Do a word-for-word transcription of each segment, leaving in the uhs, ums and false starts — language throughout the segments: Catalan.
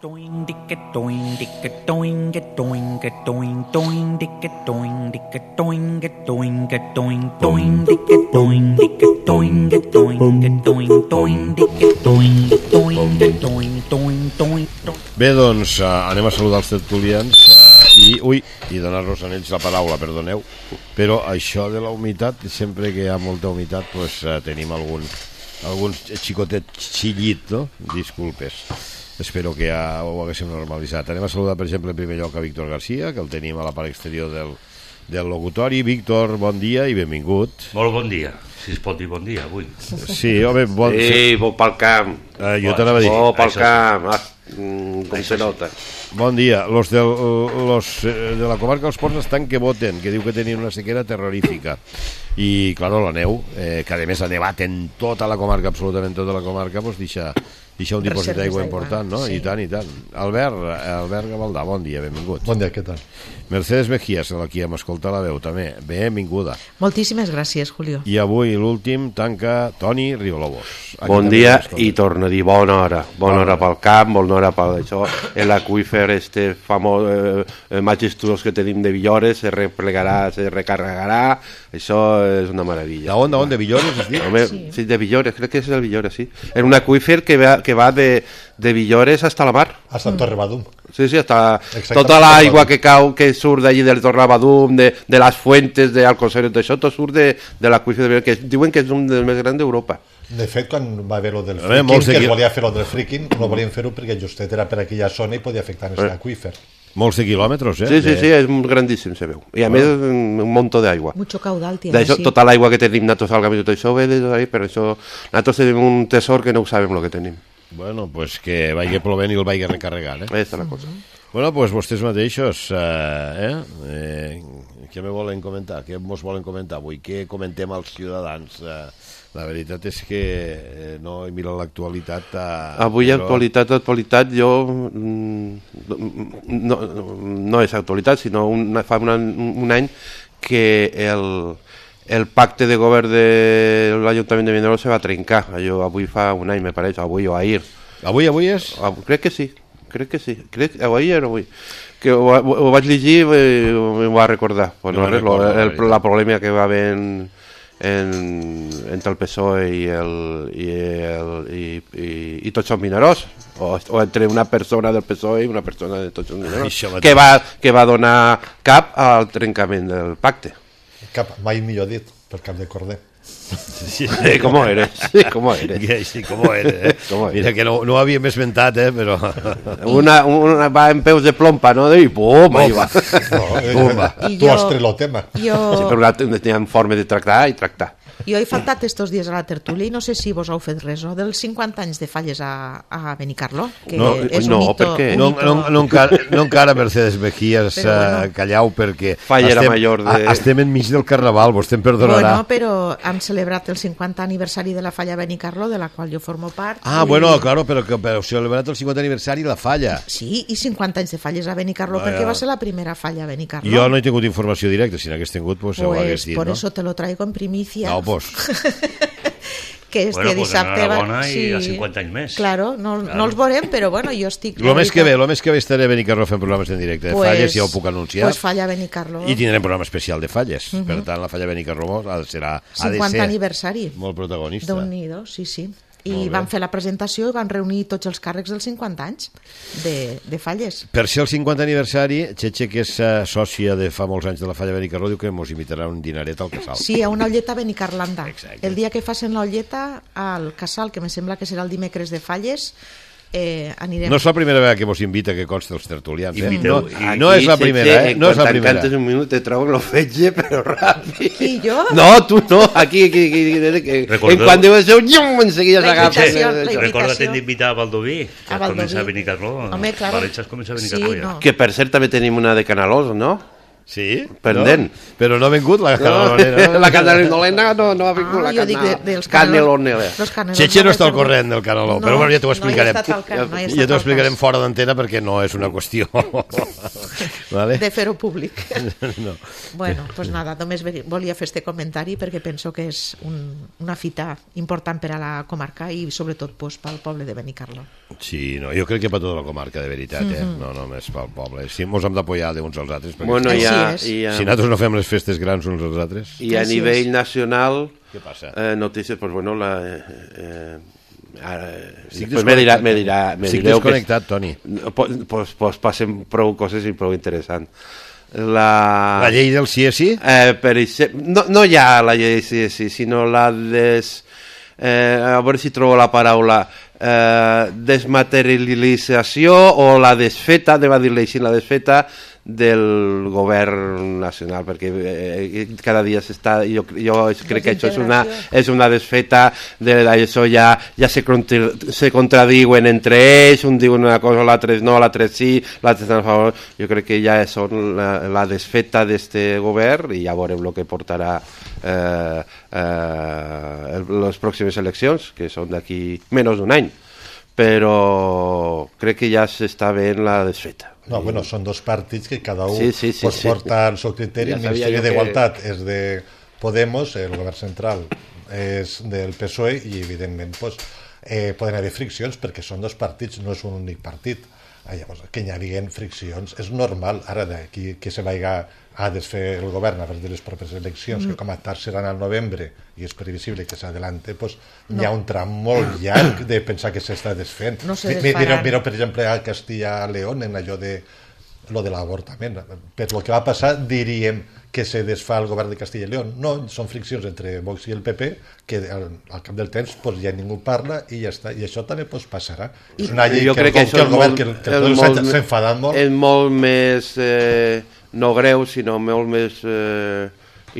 Bé, doncs uh, anem a saludar els tertulians uh, i, ui, i donar-los a ells la paraula, perdoneu, però això de la humitat, sempre que hi ha molta humitat, pues, uh, tenim algun, algun xicotet xillit, no? Disculpes. Espero que ja ho haguéssim normalitzat. Anem a saludar, per exemple, en primer lloc a Víctor García, que el tenim a la part exterior del, del locutori. Víctor, bon dia i benvingut. Molt bon dia, si es pot dir bon dia avui. Sí, home, bon... Sí, bo pel camp. Uh, jo t'anava a dir. Bo pel camp, ah, com se nota. Bon dia. Los, del, los de la comarca dels Ports estan que voten, que diu que tenien una sequera terrorífica. I, claro, la neu, eh, que a més ha nevat en tota la comarca, absolutament tota la comarca, doncs deixa, deixa un dipòsit d'aigua important, no? Sí. I tant, i tant. Albert, Albert Gavaldà, bon dia, benvingut. Bon dia, què tal? Mercedes Mejías, a qui hem escoltat la veu, també, benvinguda. Moltíssimes gràcies, Julio. I avui l'últim tanca Toni Riolobos. Bon dia i torno a dir bona hora. Bona hora pel camp, bona hora per això. L'aqüífer este famós, eh, majestuós que tenim de Villores, se replegarà, se recarregarà. Això és una meravella. D'on, d'on, de Villores, es diu? Home, sí. sí, de Villores, crec que és el Villores, sí. És un aqüífer que va, que va de, de Villores hasta la mar. Hasta mm. Torrebadum. Sí, sí, hasta tota l'aigua que cau, que surt d'allí del Torrebadum, de, de les fuentes d'Alcocer, d'això, tot surt de, de l'aqüífer de Villores, que diuen que és un dels més grans d'Europa. De fet, quan va haver lo del fricking, que es volia fer lo del fricking, no volien fer-ho perquè justet era per aquella zona i podia afectar més eh. l'aqüífer. Molts de quilòmetres, eh? Sí, sí, sí, és grandíssim, se veu. I a ah. més, un muntó d'aigua. Mucho caudal tiene, d'això, sí. Tota l'aigua que tenim nosaltres al camí, tot això ve d'ahí, però això, nosaltres tenim un tesor que no ho sabem el que tenim. Bueno, pues que vagi plovent i el vagi recarregant, eh? Ahí està la cosa. Bueno, pues vostès mateixos, eh, eh, què me volen comentar? Què mos volen comentar avui? Què comentem als ciutadans? Eh, la veritat és que eh, no he mirat l'actualitat. Eh, avui però... actualitat, actualitat, jo mm, no, no és actualitat, sinó una, fa una, un any que el, el pacte de govern de l'Ajuntament de Vinaròs se va trencar. Allò avui fa un any, me pareix, avui o ahir. Avui, avui és? Crec que sí. Crec que sí, crec que avui era avui que ho, ho, ho vaig llegir i m'ho va recordar, pues no, no recordo, el, el, la polèmica que va haver en, en, entre el P S O E i, el, i, el, i, i, i tots són Vinaròs o, o entre una persona del P S O E i una persona de tots són Vinaròs que va, que va donar cap al trencament del pacte. Cap, mai millor dit, per cap de corder. Sí, sí, com eres, sí, com eres. Sí, com eres, eh? Com eres. Mira que no, no ho havíem esmentat, eh, però... Una, una va en peus de plompa, no? I pum, ahí va. No, eh, tu has tret el tema. Jo... Sí, però teníem forma de tractar i tractar. Jo he faltat estos dies a la tertúlia i no sé si vos heu fet res, no? Dels cinquanta anys de falles a, a Benicarló, que no, és no, un hito... Per què? No, no, no, encara, no encara, Mercedes Mejías, uh, bueno, callau, perquè estem, major de... estem enmig del Carnaval, vostè em perdonarà. Bueno, però han celebrat el cinquanta aniversari de la falla Benicarló, de la qual jo formo part. Ah, i... bueno, claro, però que heu celebrat el cinquanta aniversari la falla. Sí, i cinquanta anys de falles a Benicarló, ah, perquè ja. va ser la primera falla a Benicarló. Jo no he tingut informació directa, si n'hagués tingut, pues, pues ho hagués dit, por no? eso te lo traigo en primicia. No, pues... que este bueno, dissabte pues enhorabona va... i sí. a cinquanta anys més. Claro, no, claro. no els veurem, però bueno, jo estic... Lo més que ve, lo més que ve estaré a Benicarló fent programes en directe de pues, falles, ja ho puc anunciar. Pues falla Benicarló. I tindrem programa especial de falles. Uh -huh. Per tant, la falla Benicarló serà, ha de ser... cinquanta aniversari. Molt protagonista. Déu-n'hi-do, sí, sí. I van fer la presentació i van reunir tots els càrrecs dels cinquanta anys de, de falles. Per ser el cinquanta aniversari, Txetxe, que és uh, sòcia de fa molts anys de la falla Benicarló, diu que ens invitarà un dinaret al Casal. Sí, a una olleta a Benicarlanda. Exacte. El dia que facin l'olleta al Casal, que me sembla que serà el dimecres de falles, eh, anirem... No és la primera vegada que vos invita que consta els tertulians, eh? Inviteu, no, no és la primera, eh? No és la primera. Cantes un minut te trobo lo fetge, però ràpid. Qui, jo? No, tu no, aquí, aquí, aquí, aquí. Recordeu... En quan deu ser un llum, enseguida s'agafa. Recorda't d'invitar a Baldoví, que a comença a Benicarló. Home, claro. València comença a Benicarló, sí, ja. no. Que per cert també tenim una de Canalós, no? Sí? Pendent. No? Però no ha vingut la canelonera. No, la canelonera no, no ha vingut. Ah, la jo dic de, dels canelonera. Xeche no està al corrent del caneló, no, però bueno, ja t'ho explicarem. No can, no ja t'ho explicarem fora d'antena perquè no és una qüestió vale? de fer-ho públic. No. Bueno, doncs pues nada, només volia fer este comentari perquè penso que és un, una fita important per a la comarca i sobretot pues, pel poble de Benicarló. Sí, no, jo crec que per tota la comarca, de veritat, eh? Mm-hmm. no només pel poble. Sí, mos hem d'apoyar uns als altres, perquè bueno, si, ja, ja... si nosaltres no fem les festes grans uns als altres... I a Així nivell és. nacional, què passa? Eh, notícies, pues bueno, la... Eh, ara, després me dirà, me dirà, me Estic desconnectat, que... Toni. Pues, pues, pues passen prou coses i prou interessants. La... la llei del sí és sí? Eh, per exemple, no, no hi ha la llei del sí és sí, sinó la des... Eh, a veure si trobo la paraula eh, desmaterialització o la desfeta, de va dir-li així, la desfeta del govern nacional, perquè eh, cada dia s'està, jo, jo crec que això és una, és una desfeta de, això ja, ja se, contra, se contradiuen entre ells, un diu una cosa, l'altre no, l'altre sí, l'altre està a favor. Jo crec que ja són la, la desfeta d'este govern i ja veurem el que portarà eh, eh, les pròximes eleccions, que són d'aquí menys d'un any, però crec que ja s'està veient la desfeta. No, bueno, són dos partits que cada un sí, sí, sí, pues, sí. porta el seu criteri. Ja el Ministeri d'Igualtat que... és de Podemos, el govern central és del P S O E i, evidentment, pues, eh, poden haver friccions perquè són dos partits, no és un únic partit. Ah, llavors, que hi hagi friccions és normal. Ara d'aquí que se vaiga a desfer el govern a de les properes eleccions, mm. que com a tard seran al novembre i és previsible que s'adelante, pues, no. Hi ha un tram molt llarg de pensar que s'està desfent. No se Mireu, mireu, per exemple, a Castilla-León en allò de lo de l'avortament. Per lo que va passar, diríem que se desfà el govern de Castilla i León. No, són friccions entre Vox i el P P que al, al cap del temps pues, ja ningú parla i ja està. I això també pues, passarà. I, és una llei jo que, crec que, que el govern que, que tots molt, s'ha enfadat molt. És molt més, eh, no greu, sinó molt més eh,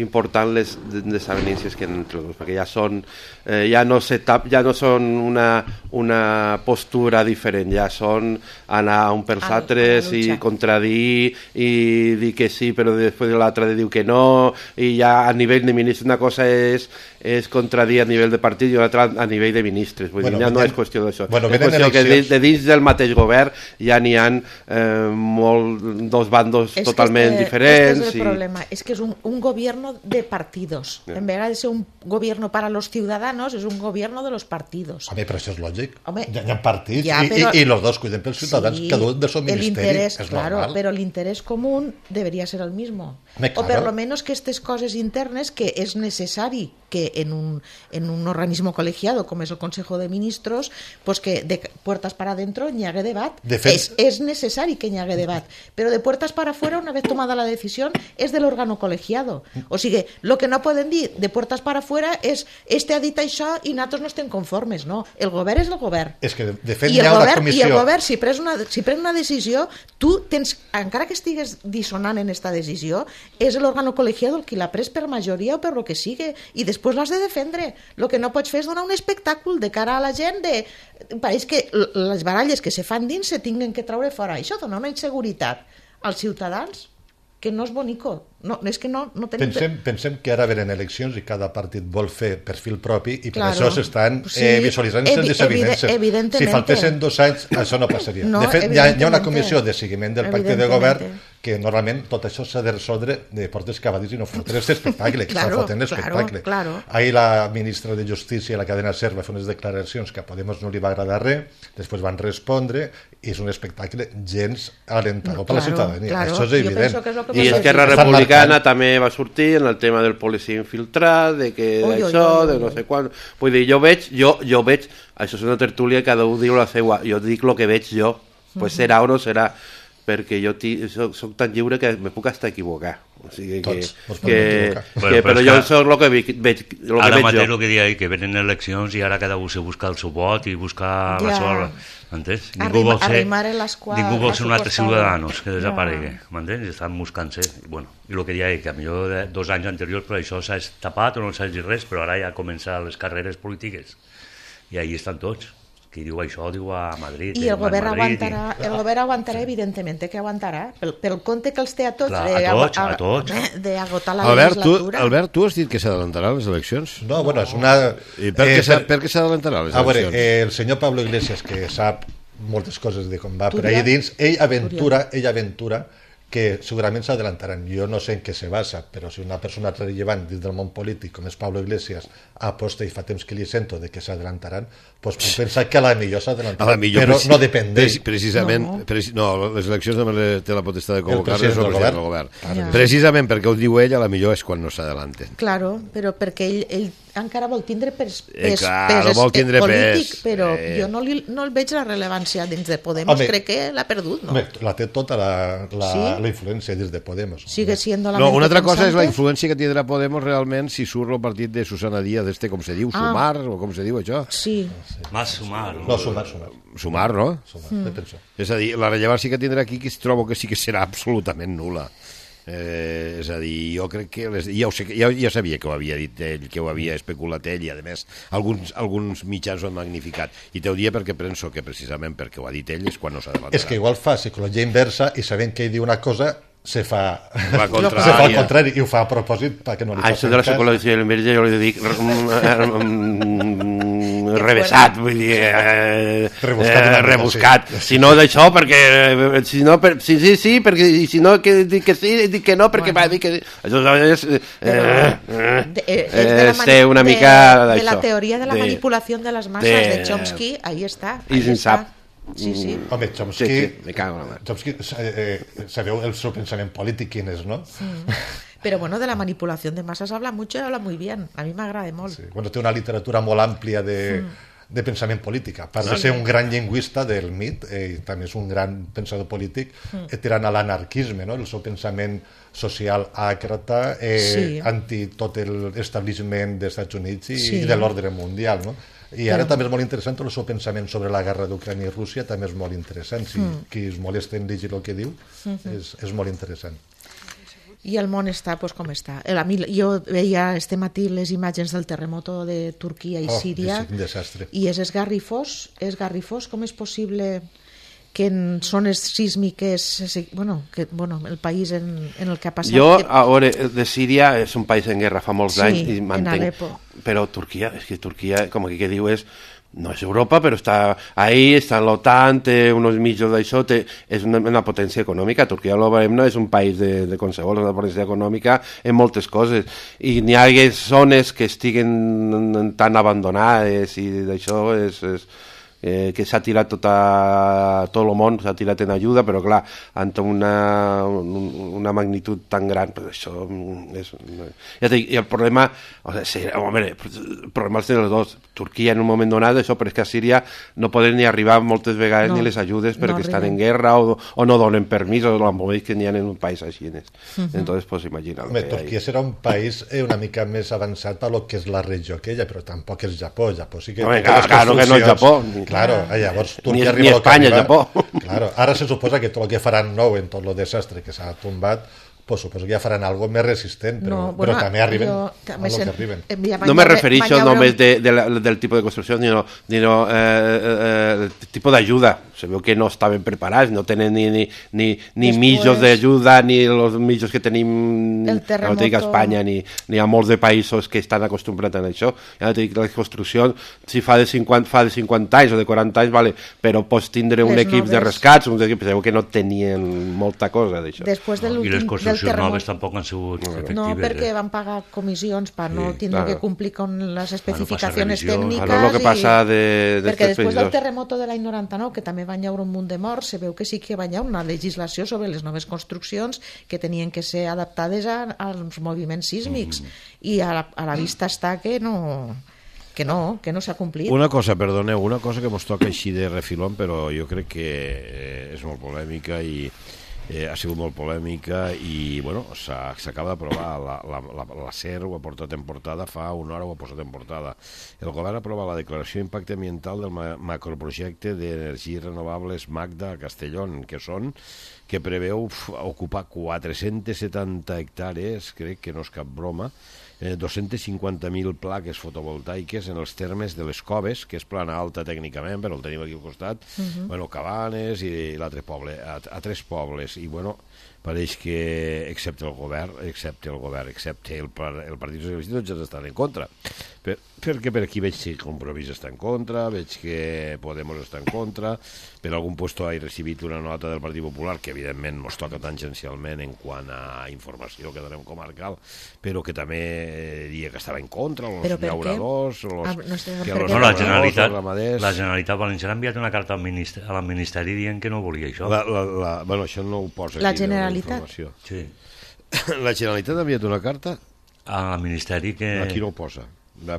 important les desavenències que entre els, perquè ja són eh, ja no s'etap, ja no són una, una postura diferent, ja són anar un pels a, altres a i contradir i dir que sí però després l'altre diu que no, i ja a nivell de ministres una cosa és, és contradir a nivell de partit i una altra a nivell de ministres, vull bueno, dir, ja venen, no és qüestió d'això, bueno, és qüestió eleccions... que de, de dins del mateix govern ja n'hi ha eh, molt, dos bandos es totalment este, diferents. Este és el i... problema, és que és un, un gobierno de partidos, yeah. En vez de ser un gobierno para los ciudadanos es un gobierno de los partidos. Home, però això és lògic. Home, hi, ha, hi ha partits ja, però... i, i, i los dos cuiden pels ciutadans, sí, cada un del seu ministeri, és claro, normal. Pero el interés común debería ser el mismo. Me, claro. O per lo menos que estas cosas internas que es necesari que en un, en un organismo colegiado como es el Consejo de Ministros, pues que de puertas para adentro n'hi hagué debat. De fet... es, es necessari que n'hi hagué debat, pero de puertas para afuera, una vez tomada la decisión, es del órgano colegiado. O sigui, lo que no poden dir de puertas para afuera és este ha dit això i nosaltres no estem conformes, no. El govern és el govern. És que de fet I hi ha govern, una comissió... I el govern, si pren una, si pren una decisió, tu tens, encara que estigues dissonant en esta decisió, és l'òrgano colegiado el qui l'ha pres per majoria o per lo que sigui, i després l'has de defendre. El que no pots fer és donar un espectacle de cara a la gent de... Pareix que les baralles que se fan dins se tinguen que treure fora. Això dona una inseguretat als ciutadans que no és bonico. No, és que no, no tenim... Pensem, pensem que ara venen eleccions i cada partit vol fer perfil propi i per claro, això s'estan sí, eh, visualitzant les desavinences. Si faltessin dos anys, això no passaria. No, de fet, hi ha, hi ha una comissió de seguiment del pacte de govern que normalment tot això s'ha de resoldre de portes cavadís i no fotre l'espectacle, que claro, està fotent l'espectacle. Claro, claro. Ahir la ministra de Justícia, la cadena SER, va fer unes declaracions que a Podemos no li va agradar res, després van respondre i és un espectacle gens alentador claro, per la ciutadania. Claro. Això és evident. Que és I Esquerra Republicana també va sortir en el tema del policia infiltrat, de que oi, això, oi, oi, de no sé quan... Vull dir, jo veig, jo, jo veig, això és una tertúlia, cada un diu la seva, jo dic el que veig jo, pues serà o no serà, perquè jo soc, soc tan lliure que me puc estar equivocar. O sigui que, Tots, que, que, bueno, però, però jo soc el que veig, veig, el ara que veig mateix jo. El que deia, que venen eleccions i ara cada un se busca el seu vot i buscar ja. La seva... M'entens? Ningú vol ser, ningú vol ser un altre ciutadanos que desaparegui, ja. M'entens? Estan buscant-se. I, bueno, i el que deia, que a millor dos anys anteriors per això s'ha tapat o no s'ha dit res, però ara ja comencen les carreres polítiques i ahí estan tots. qui diu això diu a Madrid. I el govern aguantarà, el govern aguantarà, evidentment, que aguantarà, pel, pel compte que els té a tots, Clar, a tots, a tots. d'agotar la Albert, tu, legislatura. Albert, tu has dit que s'adelantaran les eleccions? No, bueno, és una... I per què eh, per... s'adelantaran les eleccions? A veure, eh, el senyor Pablo Iglesias, que sap moltes coses de com va per allà dins, ell aventura, ell aventura que segurament s'adelantaran. Jo no sé en què se basa, però si una persona rellevant dins del món polític, com és Pablo Iglesias, aposta i fa temps que li sento de que s'adelantaran, doncs puc pensar que a la millor s'adelantaran, però no depèn d'ell. Precisament, no. Preci no, les eleccions només té la potestat de convocar-les el president del govern. Ja. Precisament perquè ho diu ell, a la millor és quan no s'adelanten. Claro, però perquè ell, ell encara vol tindre pes, pes, eh, claro, pes, vol tindre polític, pes, però eh... jo no, li, no el veig la rellevància dins de Podemos. Home, crec que l'ha perdut, no? Home, la té tota la, la, ¿sí? la influència dins de Podemos. Sigue siendo la no, una altra pensante. cosa és la influència que tindrà Podemos realment si surt el partit de Susana Díaz, este, com se diu, ah. Sumar, o com se diu això? Sí. Más Sumar. No, Sumar, Sumar. Sumar, no? Sumar, mm. És a dir, la rellevància que tindrà aquí que trobo que sí que serà absolutament nul·la. Eh, és a dir, jo crec que les, ja, ho sé, ja, ja sabia que ho havia dit ell, que ho havia especulat ell, i a més alguns, alguns mitjans ho han magnificat, i t'ho dia perquè penso que precisament perquè ho ha dit ell és quan no s'ha d'avançar. És que igual fa psicologia inversa i sabent que ell diu una cosa se fa, la se fa al contrari i ho fa a propòsit perquè no li fa això de la psicologia inversa jo li dic revesat, vull dir eh, rebuscat, eh, rebuscat. Sí. Si no d'això perquè si no, per, sí, sí, sí perquè si no que dic que sí, dic que no perquè bueno. va dir que això és eh, eh, de, eh, és de una mica de, de la teoria de la de, manipulació de les masses de, de Chomsky, ahí està, i se'n sap. Sí, sí. Home, Chomsky, sí, sí, me cago en la Chomsky eh, sabeu el seu pensament polític quin és, no? Sí. Pero bueno, de la manipulación de masas habla mucho y habla muy bien. A mí m'agrada molt. Sí. Bueno, té una literatura molt àmplia de, mm. de pensament polític. A part sí. de ser un gran lingüista del mit, eh, també és un gran pensador polític, mm. eh, tirant a l'anarquisme, no? El seu pensament social àcrata, eh, sí. anti tot l'establishment dels Estats Units i, sí. i de l'ordre mundial, no? I ara Però... també és molt interessant el seu pensament sobre la guerra d'Ucrània i Rússia, també és molt interessant. Si mm. qui es molesta en llegir el que diu, mm-hmm. és, és molt interessant. I el món està pues, com està. A mi, jo veia este matí les imatges del terremoto de Turquia i oh, Síria, és un desastre. I és esgarrifós, esgarrifós. Com és possible que en zones sísmiques, bueno, que, bueno el país en, en el que ha passat... Jo, que... a veure, de Síria és un país en guerra fa molts sí, anys i mantenc, però Turquia, és que Turquia, com aquí que diu, és no és Europa, però està ahí, està en l'OTAN, té uns mitjos d'això, té, és una, una potència econòmica. Turquia, lo veiem, no és un país de, de qualsevol, és una potència econòmica en moltes coses. I n'hi ha zones que estiguen tan abandonades i d'això és... és Eh, que s'ha tirat tota, tot el món s'ha tirat en ajuda, però clar ante una, una magnitud tan gran, però això és, ja dic, i el problema o sigui, home, el problema és dels dos. Turquia en un moment donat, això, però és que a Síria no poden ni arribar moltes vegades no, ni les ajudes perquè no estan en guerra o, o no donen permís o l'embomeix que n'hi ha en un país així. Uh-huh. Entonces, pues imagina. Home, Turquia serà un país eh, una mica més avançat per lo que és la regió aquella, però tampoc és Japó. Japó sí que... Home, clar, claro que no és Japó. Claro, llavors Turquia ni, arriba ni Espanya, Japó. Claro, ara se suposa que tot el que faran nou en tot el desastre que s'ha tombat, pues suposo que ja faran algo més resistent, però, no, bueno, però també arriben jo, també a lo que arriben. No me refereixo només de, de la, del tipus de construcció, sinó, sinó eh, eh, el tipus d'ajuda. Se veu que no estaven preparats, no tenen ni, ni, ni, ni Después, mitjos d'ajuda, ni els mitjos que tenim no dic a Espanya, ni, ni a molts de països que estan acostumbrats a això. Ja dic, la construcció, si fa de cinquanta, fa de cinquanta anys o de quaranta anys, vale, però pots tindre un Les equip noves. de rescats, un equip, sabeu que no tenien molta cosa d'això. Després de no, I les construccions noves tampoc han sigut no, efectives. No, perquè eh? van pagar comissions per sí, no tindre claro. que complir con les especificacions no tècniques. Claro, lo que passa de, de perquè després del terremoto de l'any noranta-nou, que també van haure un munt de morts, se veu que sí que va haver una legislació sobre les noves construccions que tenien que ser adaptades a, als moviments sísmics mm. i a la, a la vista està que no que no, que no s'ha complit. Una cosa, perdoneu, una cosa que mos toca així de refilón, però jo crec que eh, és molt polèmica i Eh, ha sigut molt polèmica i bueno, s'acaba d'aprovar la, la, la, la SER ho ha portat en portada, fa una hora ho ha posat en portada. El govern ha aprovat la declaració d'impacte ambiental del ma macroprojecte d'energies renovables Magda a Castellón, que són que preveu ocupar quatre-cents setanta hectàrees, crec que no és cap broma, eh, dos-centes cinquanta mil plaques fotovoltaiques en els termes de les Coves, que és plana alta tècnicament, però el tenim aquí al costat, uh-huh. bueno, Cabanes i l'altre poble, a, a tres pobles, i bueno, pareix que, excepte el govern, excepte el govern, excepte el, el Partit Socialista, tots ja estan en contra. Per, perquè per aquí veig que Compromís està en contra, veig que Podemos està en contra, per algun puesto he recibit una nota del Partit Popular que evidentment ens toca tangencialment en quant a informació que donem comarcal, però que també diria que estava en contra, els llauradors, los, ah, no, que los no, la Generalitat, la Generalitat Valenciana ha enviat una carta al ministeri, al ministeri dient que no volia això. La, la, la, bueno, això no ho posa la aquí. Generalitat? Sí. La Generalitat ha enviat una carta? Al ministeri que... Aquí no ho posa.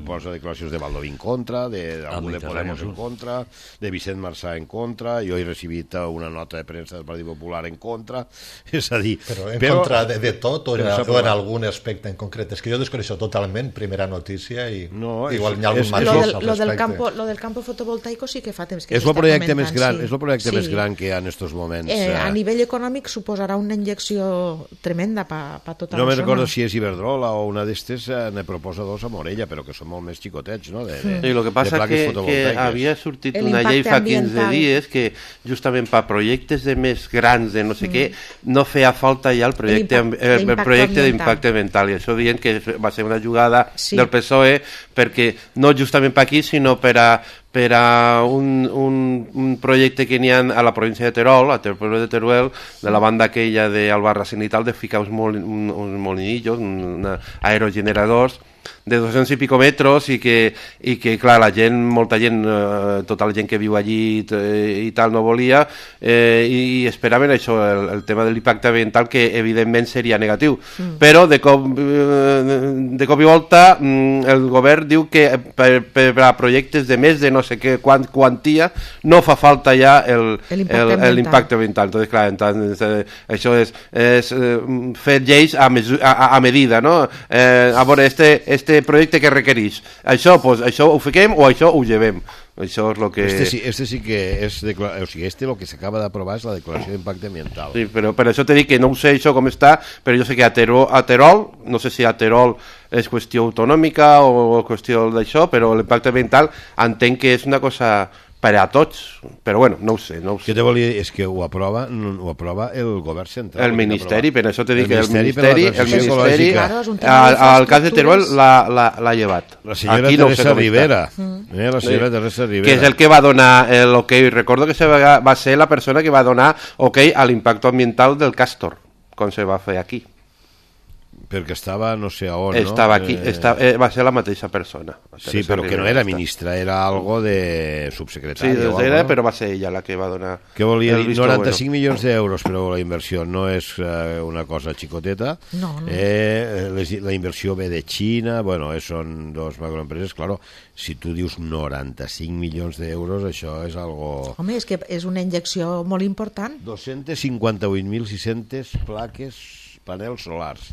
Posa declaracions de Baldoví en contra, d'algú de Podemos en contra, de Vicent Marçà en contra, jo he recibit una nota de premsa del Partit Popular en contra, és a dir... Però en però, contra de, de tot o, en, o en algun aspecte en concret? És que jo desconeixo totalment, primera notícia, i no, igual és, hi ha algun matís al respecte. Lo del campo, lo del campo fotovoltaico sí que fa temps que és el projecte comentant, més gran, sí. És el projecte sí. més gran que hi ha en estos moments. Eh, a nivell econòmic suposarà una injecció tremenda per pa tota no la zona. No me recordo si és Iberdrola o una d'estes, eh, ne proposa dos a Morella, però que són molt més xicotets. No? De, de, sí, lo que passa que, que havia sortit una llei fa quinze dies que justament per projectes de més grans de no sé mm. què, no feia falta ja el projecte, el, el projecte d'impacte ambiental, i això dient que va ser una jugada sí. del P S O E perquè no justament per aquí sinó per a per a un, un, un projecte que n'hi ha a la província de Terol, a Terol de Teruel, de la banda aquella d'Albarracín i tal, de ficar uns, mol, un, uns molinillos, uns aerogeneradors de doscientos i pico metros i que, i que clar, la gent, molta gent, eh, tota la gent que viu allí i, i tal no volia eh, i, i esperaven això, el, el tema de l'impacte ambiental, que evidentment seria negatiu. Mm. Però de cop, eh, de cop i volta mm, el govern diu que per, per a projectes de més de no sé què quant, quantia no fa falta ja el, l'impacte ambiental. Entonces, clar, entonces, eh, això és, és eh, fer lleis a, mesu, a, a medida, no? Eh, a veure, este este projecte que requereix això, pues, això ho fiquem o això ho llevem. Això és lo que... Este sí, este sí que és... Declar... O sigui, este lo que s'acaba d'aprovar és la declaració d'impacte ambiental. Sí, però per això t'he dit que no ho sé això com està, però jo sé que a Terol, a Terol no sé si a Terol és qüestió autonòmica o qüestió d'això, però l'impacte ambiental entenc que és una cosa per a tots, però bueno, no ho sé, no ho sé. Què te volia dir? És que ho aprova, ho aprova el govern central. El Ministeri, per això t'he dit que el Ministeri, el Ministeri, al cas de Teruel l'ha llevat. La senyora Teresa Rivera, eh, la senyora Teresa Rivera. Que és el que va donar l'ok, recordo que va ser la persona que va donar ok a l'impacte ambiental del Castor, com se va fer aquí. Perquè estava no sé a on, estava no? Aquí, eh... estava, eh, va ser la mateixa persona. Sí, però que no era ministra, era algo de subsecretària. Sí, o era, algo, però va ser ella la que va donar... Què volia dir? noranta-cinc bueno. milions d'euros, però la inversió no és eh, una cosa xicoteta. No, no. Eh, les, la inversió ve de Xina, bueno, eh, són dos macroempreses, claro, si tu dius noranta-cinc milions d'euros, això és algo... Home, és que és una injecció molt important. dos-cents cinquanta-vuit mil sis-centes plaques, panels solars.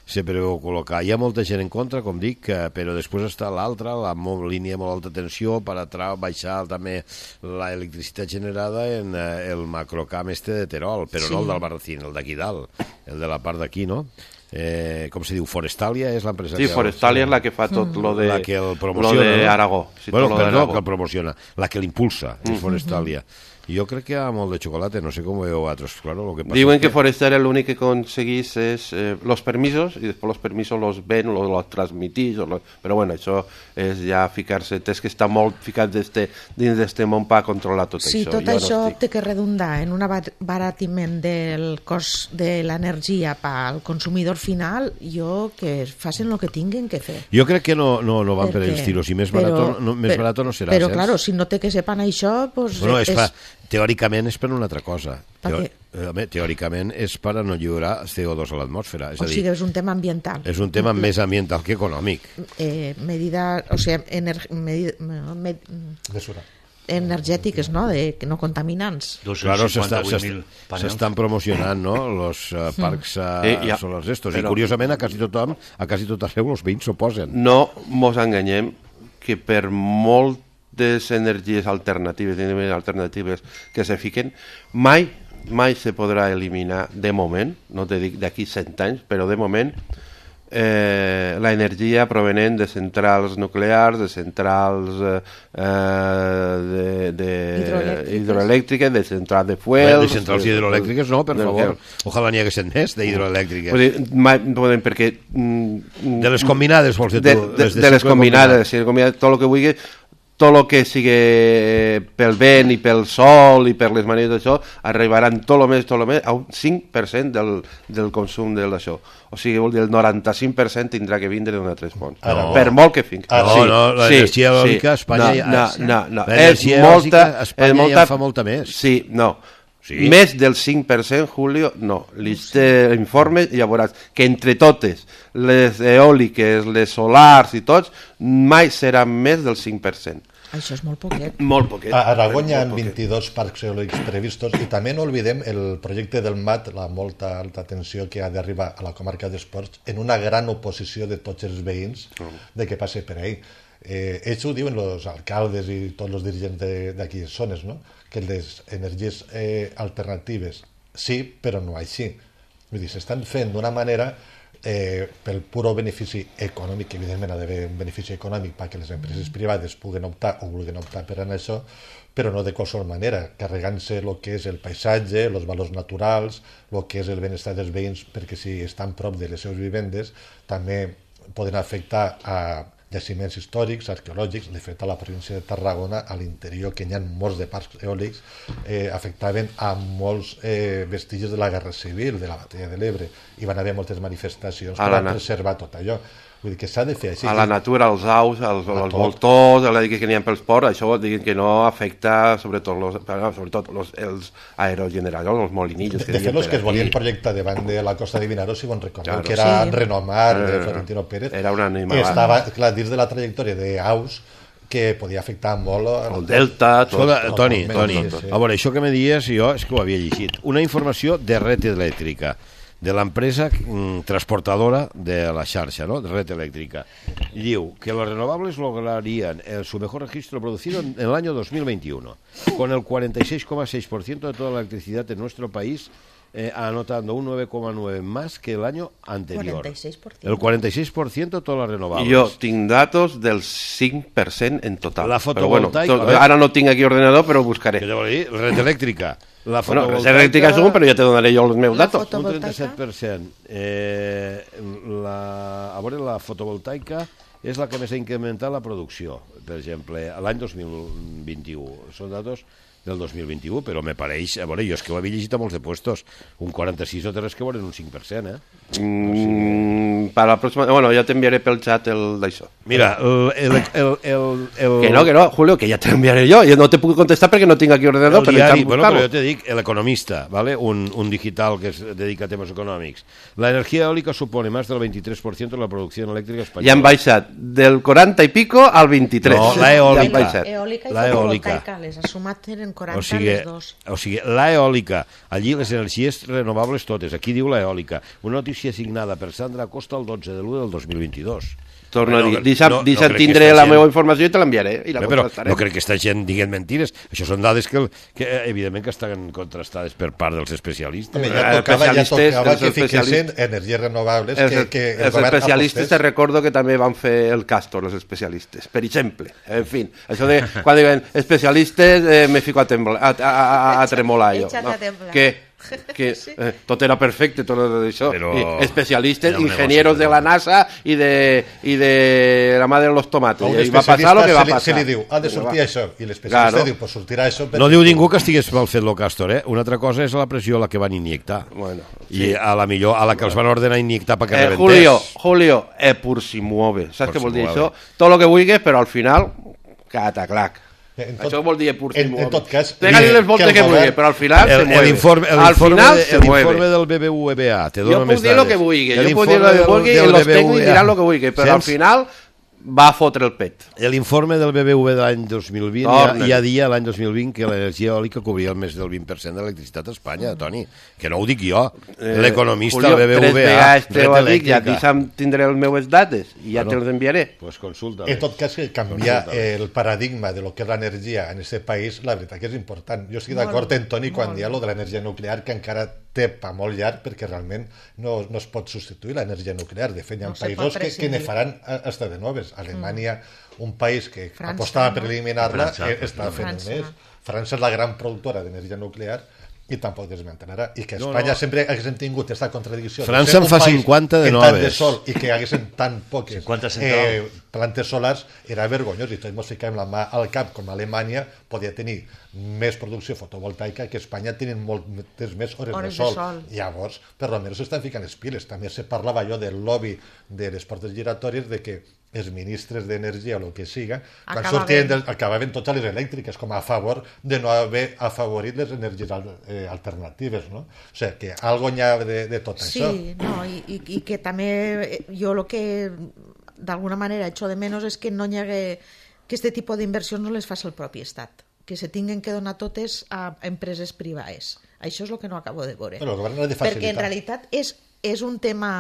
Se preveu col·locar. Hi ha molta gent en contra, com dic, però després està l'altra, la línia de molt alta tensió per a baixar també l'electricitat generada en el macrocamp este de Terol, però sí. No el d'Albarracín, el d'aquí dalt, el de la part d'aquí, no? Eh, com se diu, Forestalia és l'empresa sí, que... Sí, Forestalia és la que fa tot lo de, la que el promociona, lo de Aragó. Sí, bueno, perdó, que el promociona, la que l'impulsa, és mm. Forestalia. Jo crec que hi ha molt de xocolate, no sé com ho veieu vosaltres. Claro, lo que pasa Diuen es que, que Forestalia l'únic que aconseguís és eh, los permisos, i després los permisos los ven, los, los transmitís, los... però bueno, això és ja ficar-se, és que està molt ficat deste, dins d'este món per controlar tot sí, això. Sí, tot jo això no estic... té que redundar en un abaratiment del cost de l'energia pel consumidor final, jo que facin el que tinguin que fer. Jo crec que no, no, no van per els tiros, i més barat no, més però, barat no serà. Però, claro, si no té que sepan això, pues bueno, és... és... Pa... Teòricament és per una altra cosa. Teo... Teòricament és per a no lliurar C O dos a l'atmosfera. És o a dir, sigui, és un tema ambiental. És un tema més ambiental que econòmic. Eh, medida, o sigui, ener... medida... Med... Mesura. energètiques, no? De, no contaminants. Claro, s'estan promocionant, no? Los uh, parcs uh, eh, ja. solars estos. Però... I curiosament a quasi tothom, a quasi tot arreu els veïns s'oposen. No mos enganyem que per molt les energies alternatives, alternatives que se fiquen, mai, mai se podrà eliminar de moment, no te dic d'aquí cent anys, però de moment eh, la energia provenent de centrals nuclears, de centrals eh, de, de hidroelèctriques. hidroelèctriques, de centrals de fuels... De centrals de, hidroelèctriques no, per de, favor. Ojalà n'hi haguessin més d'hidroelèctriques. Vull dir, mai, podem, perquè... Mm, de les combinades, vols dir tu? De, de, de, de les combinades, sí, combinades, tot el que vulgui, tot el que sigui pel vent i pel sol i per les maneres d'això, arribaran tot el més, tot el més, a un cinc per cent del, del consum d'això. O sigui, vol dir, el noranta-cinc per cent tindrà que vindre d'una altres fonts. No. Per molt que fins. Ah, no, sí, no, l'energia sí, eòlica a Espanya no, ja... No, no, no. L'energia eòlica a Espanya molta, ja fa molta més. Sí, no. Sí? Més del cinc per cent, Julio, no. L'informe, ja veuràs, que entre totes, les eòliques, les solars i tots, mai seran més del cinc per cent. Això és molt poquet. Molt poquet. A Aragón hi ha vint-i-dos parcs eòlics previstos i també no oblidem el projecte del M A T, la molta alta tensió que ha d'arribar a la comarca d'Esports, en una gran oposició de tots els veïns de que passe per ahí. Eh, ells ho diuen els alcaldes i tots els dirigents d'aquí zones, no? Que les energies eh, alternatives sí, però no així. Vull dir, s'estan fent d'una manera eh, pel puro benefici econòmic, que evidentment ha d'haver un benefici econòmic perquè les empreses privades puguen optar o vulguin optar per anar això, però no de qualsevol manera, carregant-se el que és el paisatge, els valors naturals, el que és el benestar dels veïns, perquè si estan prop de les seves vivendes també poden afectar a jaciments històrics, arqueològics. De fet, a la província de Tarragona, a l'interior, que hi ha molts de parcs eòlics, eh, afectaven a molts eh, vestigis de la Guerra Civil, de la Batalla de l'Ebre, i van haver moltes manifestacions per a preservar tot allò. Vull dir que s'ha de fer així. A la natura, als aus, als, als voltors, a la que n'hi ha pels ports, això diguin que no afecta sobretot, los, sobretot los, els aerogeneradors, els molinillos. De, de fet, els que es volien projectar davant de la Costa de Vinaròs, si bon recordeu, claro, que era sí. Renomar, de Florentino Pérez, era una animalada. Estava, clar, dins de la trajectòria d'aus, que podia afectar molt... El delta... Tot, tot, Toni, Toni, sí, sí. A veure, això que me dies, jo és que ho havia llegit. Una informació de Red Elèctrica, de l'empresa mm, transportadora de la xarxa, ¿no? De Red Eléctrica. Diu que los renovables lograrían el, su mejor registro producido en el año dos mil veintiuno, con el cuarenta y seis coma seis por ciento de toda la electricidad en nuestro país, eh, anotando un nueve coma nueve más que el año anterior. cuarenta y seis por ciento. El cuarenta y seis por ciento de todas las renovables. Jo tinc datos del cinc per cent en total. La fotovoltaica... Bueno, tot, ara no tinc aquí ordenador, però ho buscaré. Què te vol dir? Red Elèctrica. La fotovoltaica... Bueno, Red Elèctrica és un, però ja te donaré jo els meus datos. Un trenta-set per cent. Eh, la, a veure, la fotovoltaica és la que més ha incrementat la producció. Per exemple, l'any dos mil vint-i-u. Són datos del dos mil vint-i-u, però me pareix... A veure, jo és que ho havia llegit a molts de puestos. Un quaranta-sis no té res que veure en un cinc per cent, eh? Mm, per la pròxima... Bueno, ja t'enviaré pel xat el d'això. Mira, el, el, el, el, el... Que no, que no, Julio, que ja t'enviaré jo. Jo no te puc contestar perquè no tinc aquí ordenador. El diari, bueno, però jo te dic, l'Economista, ¿vale? un, un digital que es dedica a temes econòmics. La energia eòlica supone más del veintitrés por ciento de la producció elèctrica espanyola. Ja han baixat del quaranta i pico al vint-i-tres. No, la eòlica. Ja eòlica i la eòlica. Les ha sumat en quaranta o sigui, les dos. O sigui, la eòlica, allí les energies renovables totes, aquí diu la eòlica. Una notícia signada per Sandra Costa el dotze de l'u del dos mil vint-i-dos. Torno bueno, a dir, deixa'm no, no tindré la gent... meva informació i te l'enviaré. I la però no crec que aquesta gent diguin mentires. Això són dades que, que evidentment que estan contrastades per part dels especialistes. Home, ja tocava, ja tocava que fiquessin energies renovables. Els, que, que el els especialistes te recordo que també van fer el Castor, els especialistes, per exemple. En fi, això de quan diuen especialistes eh, me fico a, tembla, a, a, a, a tremolar jo. No? Que que sí. eh, tot era perfecte, tot això. Però... especialistes, ingenieros de la NASA i de, i de la madre de los tomates. I va passar el que va passar. Se li diu, ha de sortir això, i l'especialista claro. Diu, pues sortirà això. No diu ningú que estigués mal fet lo Castor, eh? Una altra cosa és la pressió a la que van injectar. Bueno, sí. I a la millor, a la que els van ordenar injectar perquè eh, rebentés. Julio, Julio, eh, pur si muove. Saps què vol dir això? Tot el que vulguis, però al final, cataclac. Tot, això vol dir pur si mueve. En tot cas... Pega-li les voltes que, que vulgui, però al final el, se mueve. L'informe al final se mueve. L'informe del B B V A te dona jo més dades. Jo puc dir el que vulgui, jo puc dir el que vulgui, i els tècnics diran el que vulgui, però al final va fotre el pet. L'informe del B B V de l'any dos mil vint ja, ja dia l'any dos mil vint que l'energia eòlica cobria el més del vint per cent de l'electricitat a Espanya, Toni. Que no ho dic jo, eh, l'economista del B B V A, Red Elèctrica. Ja deixa'm tindré les meves dates i ja bueno, te les enviaré. Pues consulta. En tot cas, que canviar el paradigma de lo que és l'energia en aquest país, la veritat que és important. Jo estic d'acord amb Toni quan hi ha lo de l'energia nuclear, que encara té pa molt llarg perquè realment no, no es pot substituir l'energia nuclear. De fet, hi ha no països que, que ne faran hasta de noves. Alemanya, mm. un país que França, apostava no? per eliminar-la, està fent un mes. França és la gran productora d'energia nuclear i tampoc desmantelarà. I que a Espanya no, no. sempre haguéssim tingut aquesta contradicció. França en fa cinquanta de noves. De sol i que haguessin tan poques eh, plantes solars era vergonyós i tots ens ficàvem la mà al cap com Alemanya podia tenir més producció fotovoltaica que Espanya tenen moltes més hores, hores de, sol. de sol. Llavors, per almenys s'estan ficant les piles. També se parlava allò del lobby de les portes giratòries de que els ministres d'energia o el que siga, quan sortien del, acabaven totes les elèctriques com a favor de no haver afavorit les energies eh, alternatives, no? O sigui, que algo n'hi ha de, de tot sí, això. Sí, no, i, i, i que també jo el que d'alguna manera echo de menos és que no hi hagué que aquest tipus d'inversions no les faci el propi Estat, que se tinguen que donar totes a empreses privades. Això és el que no acabo de veure. Però el govern ha de facilitar. Perquè en realitat és, és un tema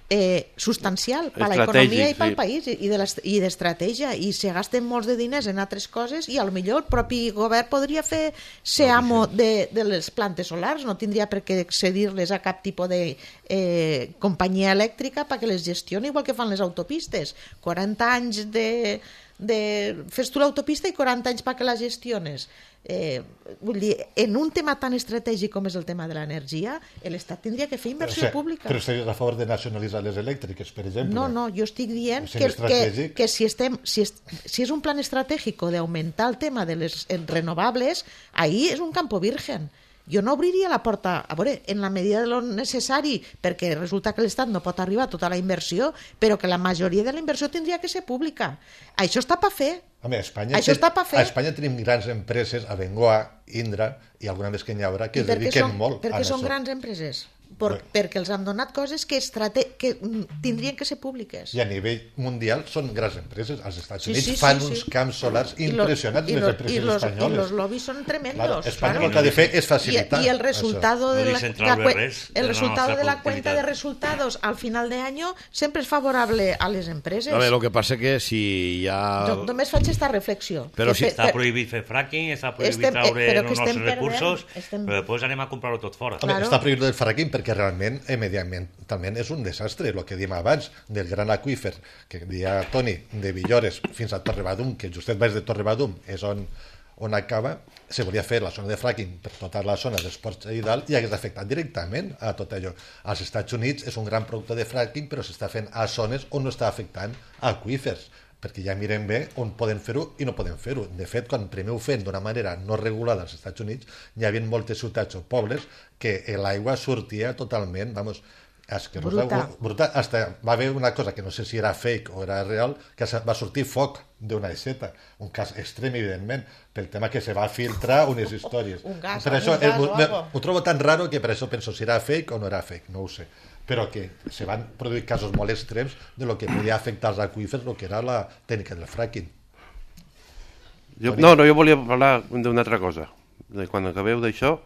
Eh, substancial per a l'economia i pel sí. país i, de i d'estratègia, i se gasten molts de diners en altres coses i potser el propi govern podria fer ser amo de, de les plantes solars, no tindria per què cedir-les a cap tipus de eh, companyia elèctrica perquè les gestioni igual que fan les autopistes. quaranta anys de, de... fes tu l'autopista i quaranta anys perquè la gestiones. Eh, vull dir, en un tema tan estratègic com és el tema de l'energia, l'Estat tindria que fer inversió o sigui, pública. Però estaries a favor de nacionalitzar les elèctriques, per exemple? No, no, jo estic dient que, que, que si, estem, si, és, si és un plan estratègic d'augmentar el tema de les renovables, ahí és un campo virgen. Jo no obriria la porta, a veure, en la medida de lo necessari, perquè resulta que l'Estat no pot arribar a tota la inversió, però que la majoria de la inversió tindria que ser pública. Això està per fer. Home, a Espanya, Això està per fer. A Espanya tenim grans empreses, Abengoa, Indra i alguna més que n'hi haurà, que es dediquen són, molt perquè a això. Perquè són grans empreses. Por, bueno. Perquè els han donat coses que, estrate, que tindrien que ser públiques. I a nivell mundial són grans empreses. Els Estats sí, Units sí, fan sí, uns sí. camps solars I impressionants, I les lo, empreses i los, espanyoles. I els lobbies són tremendos. Claro, Espanya claro. el que ha de fer és facilitar. I, i el resultado això. de la, la, la, res, el resultado de la cuenta de resultados al final de año sempre és favorable a les empreses. A veure, lo que passa que si hi ha... Jo només faig aquesta reflexió. Però que si per, està prohibit fer fracking, està prohibit estem, traure però els nostres perdent, recursos, estem... però després anem a comprar-ho tot fora. Claro. Està prohibit el fracking perquè realment eh, mediambientalment és un desastre, el que diem abans del gran aqüífer, que deia Toni, de Villores fins a Torrebadum, que justet baix de Torrebadum és on, on acaba, se volia fer la zona de fracking per tota la zona dels ports i dalt i hagués afectat directament a tot allò. Als Estats Units és un gran producte de fracking, però s'està fent a zones on no està afectant aqüífers, perquè ja mirem bé on poden fer-ho i no poden fer-ho. De fet, quan primer ho fent d'una manera no regulada als Estats Units, hi havia moltes ciutats o pobles que l'aigua sortia totalment, vamos, és que bruta. bruta. Hasta va haver una cosa que no sé si era fake o era real, que va sortir foc d'una aixeta, un cas extrem evidentment, pel tema que se va filtrar unes històries. Un gas, per això, un gas el, o me, ho trobo tan raro que per això penso si era fake o no era fake, no ho sé, però que se van produir casos molt extrems de lo que podia afectar els aqüífers, el que era la tècnica del fracking. Jo, no, no, jo volia parlar d'una altra cosa. Quan acabeu d'això,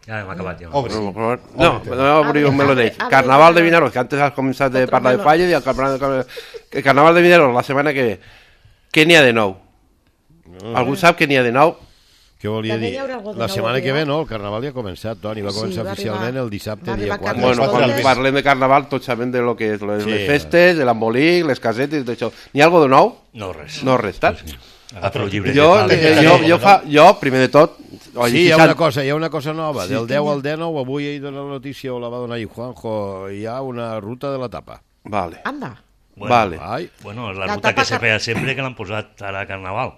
ja hem acabat, ja. Obri. No, no, no, no obri un melonell. Carnaval de Vinaros, que antes has començat de parlar de Falles, i el carnaval, el carnaval de Vinaros la setmana que ve. Què n'hi ha de nou? No. Algú sap què n'hi ha de nou? Què volia dir? La setmana que ve, no, el carnaval ja ha començat, Toni, va començar sí, va oficialment arribar, el dissabte, dia quatre. Bueno, quan parlem de carnaval tots sabem de lo que és, les sí, festes, de l'embolic, les casetes, d'això. N'hi ha alguna de nou? No, res. No, res, tant? Sí, sí. Ah, però jo, jo, jo, fa, jo, primer de tot... Sí, hi ha una cosa, hi ha una cosa nova. Del deu al dinou, avui he donat la notícia, o la va donar ahir Juanjo, hi ha una ruta de la tapa. Vale. Anda. Bueno, vale. Ai. Bueno, la, la ruta que se feia sempre que l'han posat ara a Carnaval.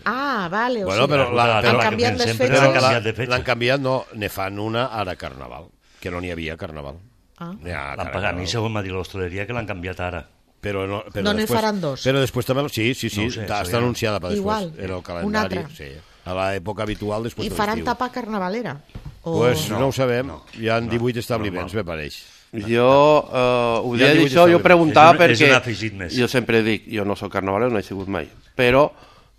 Ah, vale. O bueno, sigui, però la, la, han canviat les fetges. L'han canviat, no, ne fan una ara Carnaval, que no n'hi havia Carnaval. Ah. L'han pagat, a mi segons m'ha dit l'hostaleria que l'han canviat ara. Però no, però no n'hi faran dos. Però després també... Sí, sí, sí, no sé, està anunciada per després. Igual, en el calendari. Sí, a l'època habitual després I faran tapa carnavalera? O... Pues no, no ho sabem. No, hi ha divuit no, establiments, no, me pareix. Jo uh, ho dia d'això, jo preguntava és un, perquè... És jo sempre dic, jo no soc carnavalero, no he sigut mai, però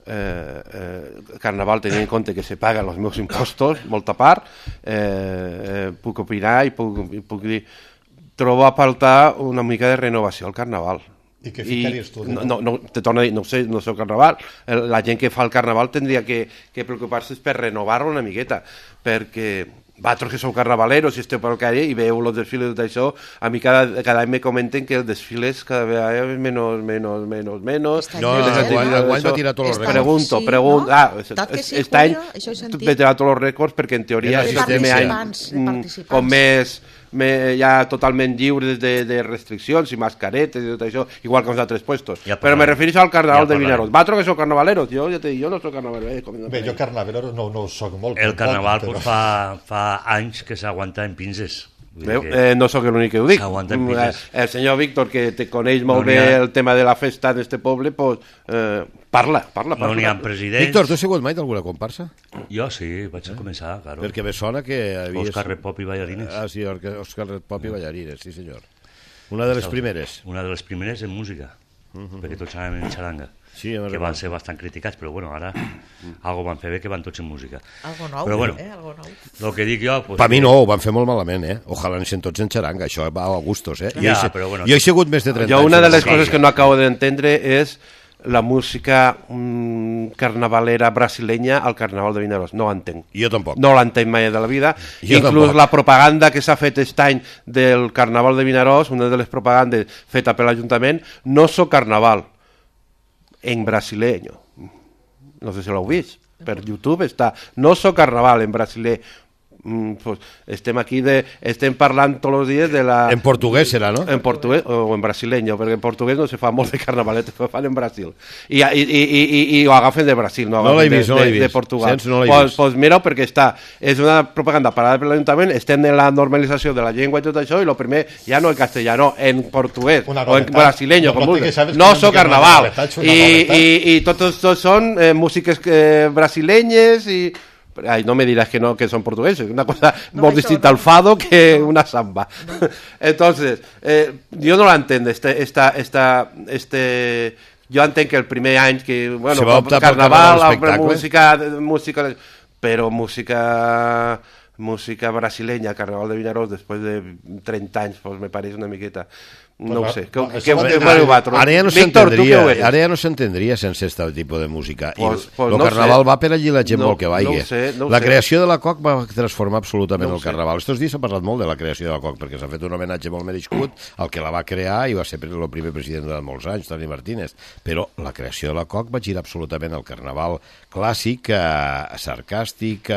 eh, eh, Carnaval tenint en compte que se paguen els meus impostos, molta part, eh, eh, puc opinar i puc, i puc dir... Trobo a faltar una mica de renovació al Carnaval. I què ficaries tu? No, no, no, te torno a dir, no sé, no sé el Carnaval. La gent que fa el Carnaval tindria que, que preocupar-se per renovar-lo una miqueta, perquè vosaltres que sou carnavaleros i esteu pel carrer i veieu els desfiles i tot això, a mi cada, cada any me comenten que els desfiles cada vegada és menys, menys, menys, menys... No, enguany va tirar tots els rècords. Pregunto, pregunto... Ah, aquest any va tirar tots els rècords perquè en teoria és el primer any com més... ja totalment lliures de, de restriccions i mascaretes i tot això, igual que els altres puestos. Ja però me refereixo al carnaval ja de Vinaroz. Vosaltres que sou carnavaleros, jo ja te dic, jo no soc carnavalero. Eh, Bé, jo carnavalero no, no ho soc molt. El carnaval poc, però... fa, fa anys que s'aguanta en pinces. Veu? Eh, no sóc l'únic que ho dic. El senyor Víctor, que te coneix molt no bé ha... el tema de la festa d'este poble, pues, eh, parla, parla, parla. No n'hi ha presidents. Víctor, tu has sigut mai d'alguna comparsa? Jo sí, vaig eh? començar, claro. Perquè me sona que havies... Òscar Repop i Ballarines. Ah, sí, Òscar Repop i Ballarines, sí senyor. Una de les primeres. Una de les primeres en música, uh -huh. perquè tots anàvem en xaranga. Sí, que van ser bastant criticats, però bueno, ara algo van fer bé que van tots en música. Algo nou, però, bueno, eh? Algo nou. El que dic jo... Pues, per mi no, ho van fer molt malament, eh? Ojalà anessin tots en xaranga, això va a gustos, eh? Ja, jo, he, però bueno, jo he sigut més de trenta jo anys. Jo una de les sí, coses que no acabo d'entendre és la música mmm, carnavalera brasilenya al carnaval de Vinaroz. No l'entenc. Jo tampoc. No l'entenc mai de la vida. Jo Inclús tampoc. La propaganda que s'ha fet aquest any del carnaval de Vinaroz, una de les propagandes feta per l'Ajuntament, no so carnaval en brasileño. No sé si l'heu vist. Per YouTube està. No so carnaval en brasiler. Mm, pues estem aquí de, estem parlant tots els dies de la... En portuguès serà, no? En portuguès o en brasileño, perquè en portuguès no se fa molt de carnavalet, se fan en Brasil. I, i, i, i, i ho agafen de Brasil, no, no l'he vist, de, no l'he de, vist. De Portugal. Sents, no l'he pues, vist. Pues mira, perquè està, és una propaganda parada per l'Ajuntament, estem en la normalització de la llengua i tot això, i el primer ja no en castellano, en portuguès o en brasileño, com vulguis. No so carnaval. I, i, i tots, tots són eh, músiques eh, brasilenyes i... Ay, no me dirás que no, que son portugueses, una cosa no, muy distinta no. al fado que no. una samba. No. Entonces, eh, yo no la entiendo, este, esta, esta, este, yo entenc que el primer any que, bueno, carnaval, música, música, però música, música brasilenya, carnaval de Vinaroz, després de trenta anys, pues me pareix una miqueta... No ho sé. Ara ja no s'entendria ara ja no s'entendria sense aquest tipus de música. Pues, I pues el no carnaval sé. va per allí la gent no, vol que vagi. No sé, no la sé. creació de la C O C va transformar absolutament no el carnaval. Estos dies s'ha parlat molt de la creació de la C O C perquè s'ha fet un homenatge molt merescut al que la va crear i va ser el primer president durant molts anys, Toni Martínez. Però la creació de la C O C va girar absolutament al carnaval clàssic, eh, sarcàstic,